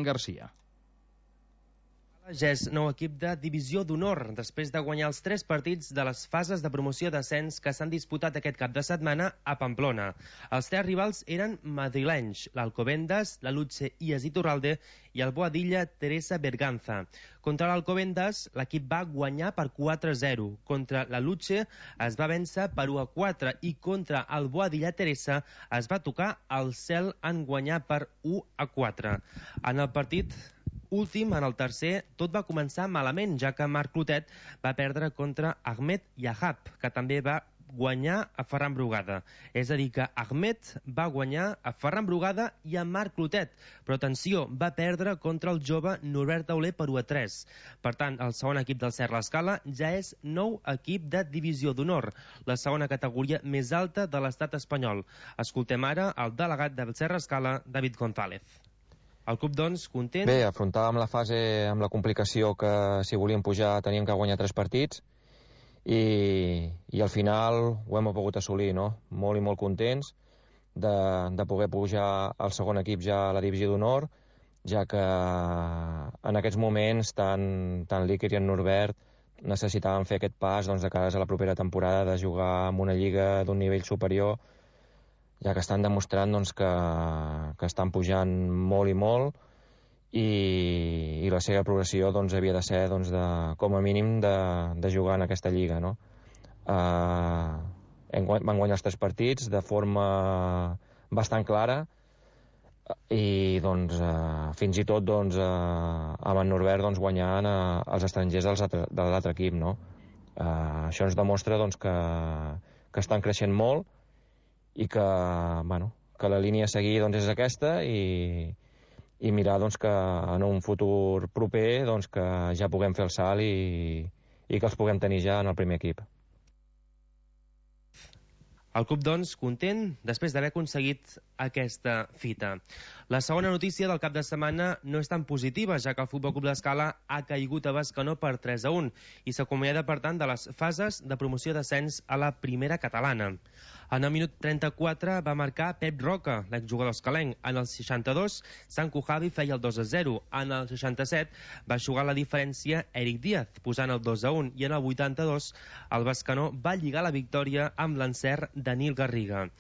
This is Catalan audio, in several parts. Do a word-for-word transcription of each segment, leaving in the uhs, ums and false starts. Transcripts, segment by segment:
Garcia. Ja és nou equip de divisió d'honor, després de guanyar els tres partits de les fases de promoció d'ascens que s'han disputat aquest cap de setmana a Pamplona. Els tres rivals eren madrilenys, l'Alcobendas, la Lutxe Ies Iturralde i el Boadilla Teresa Berganza. Contra l'Alcobendas, l'equip va guanyar per quatre a zero. Contra la Lutxe es va vèncer per u a quatre i contra el Boadilla Teresa es va tocar el cel en guanyar per u a quatre. En el partit últim, en el tercer, tot va començar malament, ja que Marc Clotet va perdre contra Ahmed Yahab, que també va guanyar a Ferran Brugada. És a dir, que Ahmed va guanyar a Ferran Brugada i a Marc Clotet, però atenció, va perdre contra el jove Norbert Tauler per u a tres. Per tant, el segon equip del Serra Escala ja és nou equip de divisió d'honor, la segona categoria més alta de l'estat espanyol. Escoltem ara el delegat del Serra Escala, David González. El club, doncs, content? Bé, afrontàvem la fase amb la complicació que si volíem pujar teníem que guanyar tres partits i, i al final ho hem pogut assolir, no? Molt i molt contents de, de poder pujar al segon equip ja a la divisió d'honor, ja que en aquests moments tant, tant l'Iker i en Norbert necessitaven fer aquest pas doncs, de cara a la propera temporada de jugar en una lliga d'un nivell superior, ja que estan demostrant doncs, que, que estan pujant molt i molt i, i la seva progressió doncs, havia de ser doncs, de, com a mínim de, de jugar en aquesta lliga, no? Uh, hem, van guanyar els tres partits de forma bastant clara i doncs, uh, fins i tot doncs, uh, amb en Norbert doncs, guanyant uh, els estrangers dels altre, de l'altre equip, no? Uh, això ens demostra doncs, que, que estan creixent molt i que, bueno, que la línia a seguir doncs, és aquesta i, i mirar doncs, que en un futur proper doncs, que ja puguem fer el salt i, i que els puguem tenir ja en el primer equip. El club, doncs, content després d'haver aconseguit aquesta fita. La segona notícia del cap de setmana no és tan positiva, ja que el Futbol Club d'Escala ha caigut a Bescanó per tres a un i s'acomiada, per tant, de les fases de promoció d'ascens a la primera catalana. En el minut trenta-quatre va marcar Pep Roca, l'exjugador escalenc. En el seixanta-dos, Sant Cujavi feia el dos a zero. En el seixanta-set va jugar la diferència Eric Díaz, posant el dos a un. I en el vuitanta-dos, el Bescanó va lligar la victòria amb l'encert de Nil Garriga.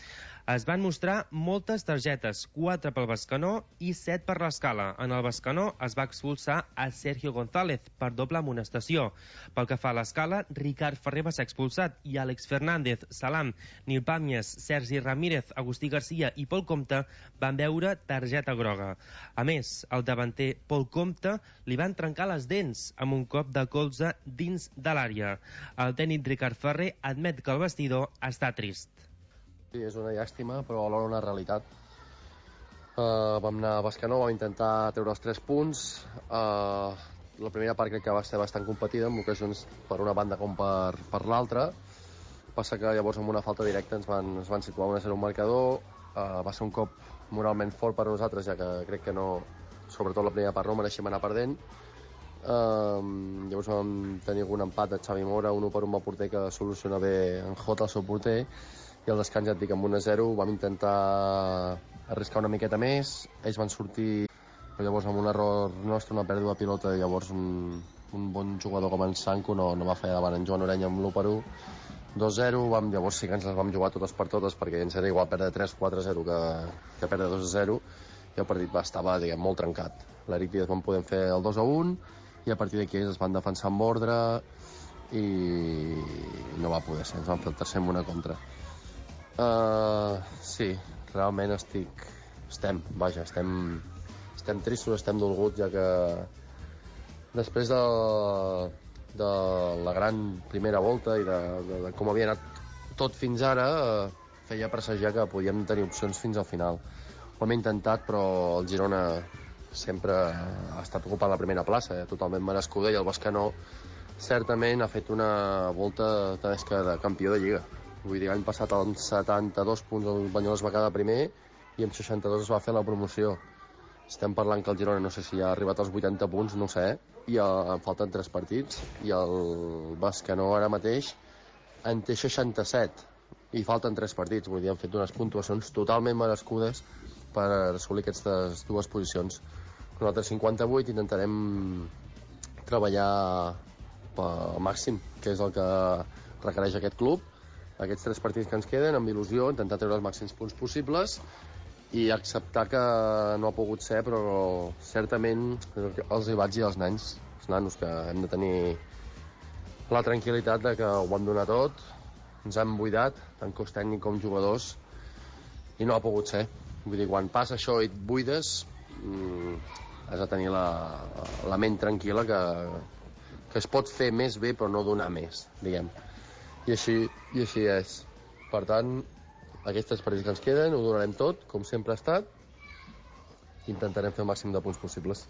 Es van mostrar moltes targetes, quatre pel Bescanó i set per l'Escala. En el Bescanó es va expulsar a Sergio González per doble amonestació. Pel que fa a l'Escala, Ricard Ferrer va ser expulsat i Àlex Fernández, Salam, Nil Pàmies, Sergi Ramírez, Agustí Garcia i Pol Comte van veure targeta groga. A més, el davanter Pol Comte li van trencar les dents amb un cop de colze dins de l'àrea. El tècnic Ricard Ferrer admet que el vestidor està trist. Sí, és una llàstima, però alhora una realitat. Uh, vam anar a Bescanó, vam intentar treure els tres punts. Uh, la primera part crec que va ser bastant competida, amb ocasions per una banda com per, per l'altra. Passa que llavors amb una falta directa ens van, ens van situar un a zero un marcador. Uh, va ser un cop moralment fort per a nosaltres, ja que crec que no, sobretot la primera part no mereixem anar perdent. Uh, llavors vam tenir algun empat de Xavi Mora, un u per un al porter que soluciona bé en Jota, el seu porter, i al descans ja et dic, amb un a zero vam intentar arriscar una miqueta més, ells van sortir però llavors amb un error nostre, una pèrdua de pilota, i llavors un, un bon jugador com en Sanco no, no va fallar davant en Joan Orenya amb l'u per u, dos a zero, vam, llavors sí que ens les vam jugar totes per totes, perquè ens era igual perdre tres quatre a zero que, que perdre dos a zero, i el partit va, estava diguem, molt trencat. L'Eric Díaz vam poder fer el dos a un, i a partir d'aquí es van defensar amb ordre i no va poder ser, ens van fer el tercer amb una contra. Uh, sí, realment estic estem, vaja, estem estem tristos, estem dolguts, ja que després de, de la gran primera volta i de, de, de com havia anat tot fins ara, uh, feia presagiar que podíem tenir opcions fins al final. Ho hem intentat, però el Girona sempre ha estat ocupant la primera plaça, eh, totalment merescuda, i el Bescanó certament ha fet una volta també que de campió de Lliga. Vull dir, l'any passat amb setanta-dos punts el Banyoles va quedar primer i amb seixanta-dos es va fer la promoció. Estem parlant que el Girona no sé si ha arribat als vuitanta punts, no sé, i el, en falten tres partits, i el Bescanó ara mateix en té seixanta-set i falten tres partits. Vull dir, han fet unes puntuacions totalment merescudes per assolir aquestes dues posicions. nosaltres cinquanta-vuit intentarem treballar al màxim, que és el que requereix aquest club, aquests tres partits que ens queden, amb il·lusió, intentar treure els màxims punts possibles i acceptar que no ha pogut ser, però certament els hi vaig dir als nens, els nanos, que hem de tenir la tranquil·litat de que ho hem donat tot, ens hem buidat, tant cos tècnic com jugadors, i no ha pogut ser. Vull dir, quan passa això i et buides, mmm, has de tenir la, la ment tranquil·la que, que es pot fer més bé però no donar més, diguem. I així, i així és. Per tant, aquests tres partits que ens queden ho donarem tot, com sempre ha estat, i intentarem fer el màxim de punts possibles.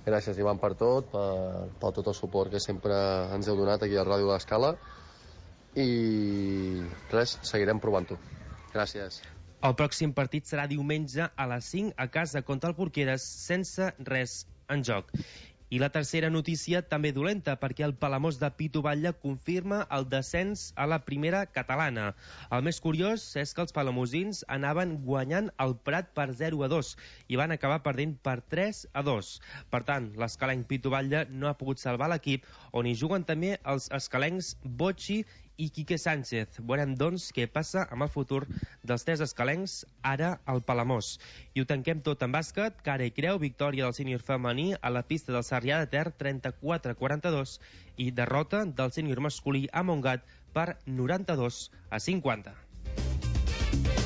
Gràcies, Ivan, per tot, per, per tot el suport que sempre ens heu donat aquí a Ràdio de l'Escala, i res, seguirem provant-ho. Gràcies. El pròxim partit serà diumenge a les cinc a casa contra el Porqueres, sense res en joc. I la tercera notícia també dolenta, perquè el Palamós de Pitu Batlle confirma el descens a la primera catalana. El més curiós és que els palamosins anaven guanyant el Prat per zero a dos i van acabar perdent per tres a dos. Per tant, l'escalenc Pitu Batlle no ha pogut salvar l'equip, on hi juguen també els escalencs Botxi i Quique Sánchez. Veurem, doncs, què passa amb el futur dels tres escalencs, ara al Palamós. I ho tanquem tot en bàsquet. Cara i creu, victòria del sènior femení a la pista del Sarrià de Ter, trenta-quatre a quaranta-dos, i derrota del sènior masculí a Montgat per noranta-dos a cinquanta.